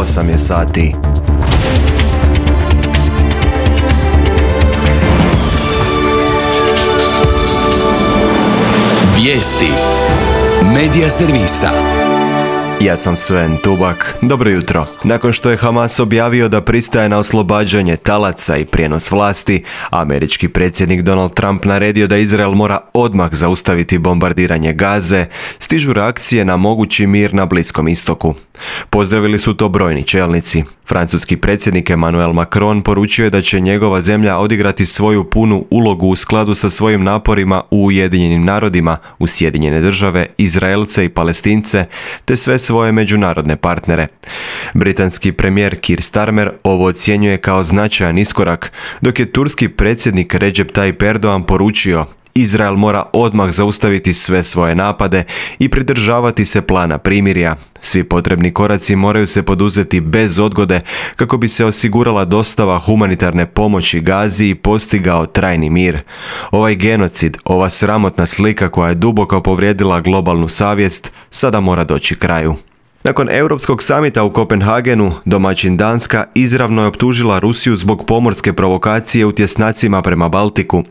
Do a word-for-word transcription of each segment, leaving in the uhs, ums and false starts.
osam je sati. Vijesti Medija servisa. Ja sam Sven Tubak. Dobro jutro. Nakon što je Hamas objavio da pristaje na oslobađanje talaca i prijenos vlasti, američki predsjednik Donald Trump naredio da Izrael mora odmah zaustaviti bombardiranje Gaze, stižu reakcije na mogući mir na Bliskom istoku. Pozdravili su to brojni čelnici. Francuski predsjednik Emmanuel Macron poručio je da će njegova zemlja odigrati svoju punu ulogu u skladu sa svojim naporima u Ujedinjenim narodima, u Sjedinjene države, Izraelce i Palestince, te sve svoje međunarodne partnere. Britanski premijer Keir Starmer ovo ocjenjuje kao značajan iskorak, dok je turski predsjednik Recep Tayyip Erdogan poručio: Izrael mora odmah zaustaviti sve svoje napade i pridržavati se plana primirja. Svi potrebni koraci moraju se poduzeti bez odgode kako bi se osigurala dostava humanitarne pomoći Gazi i postigao trajni mir. Ovaj genocid, ova sramotna slika koja je duboko povrijedila globalnu savjest, sada mora doći kraju. Nakon Europskog samita u Kopenhagenu, domaćin Danska izravno je optužila Rusiju zbog pomorske provokacije u tjesnacima prema Baltiku.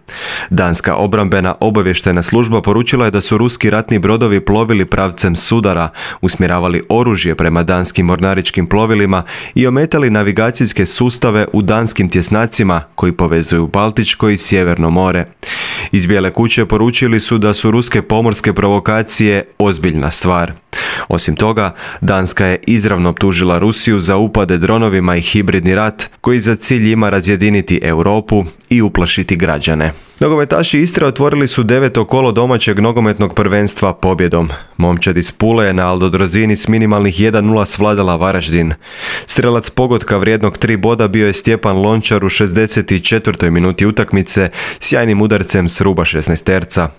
Danska obrambena obavještajna služba poručila je da su ruski ratni brodovi plovili pravcem sudara, usmjeravali oružje prema danskim mornaričkim plovilima i ometali navigacijske sustave u danskim tjesnacima koji povezuju Baltičko i Sjeverno more. Iz Bijele kuće poručili su da su ruske pomorske provokacije ozbiljna stvar. Osim toga, Danska je izravno optužila Rusiju za upade dronovima i hibridni rat koji za cilj ima razjediniti Europu i uplašiti građane. Nogometaši Istre otvorili su deveto kolo domaćeg nogometnog prvenstva pobjedom. Momčad iz Pule je na Aldodrozini s minimalnih jedan nula svladala Varaždin. Strelac pogotka vrijednog tri boda bio je Stjepan Lončar u šezdeset četvrtoj minuti utakmice sjajnim udarcem s ruba šesnaesterca.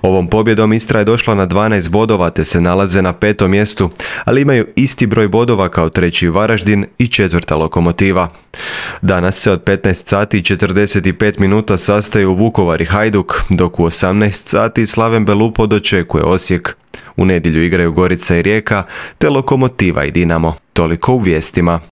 Ovom pobjedom Istra je došla na dvanaest bodova te se nalaze na petom mjestu, ali imaju isti broj bodova kao treći Varaždin i četvrta Lokomotiva. Danas se od petnaest sati i četrdeset pet minuta sastaju Vukovar i Hajduk, dok u osamnaest sati Slaven Belupo dočekuje Osijek. U nedjelju igraju Gorica i Rijeka, te Lokomotiva i Dinamo. Toliko u vijestima.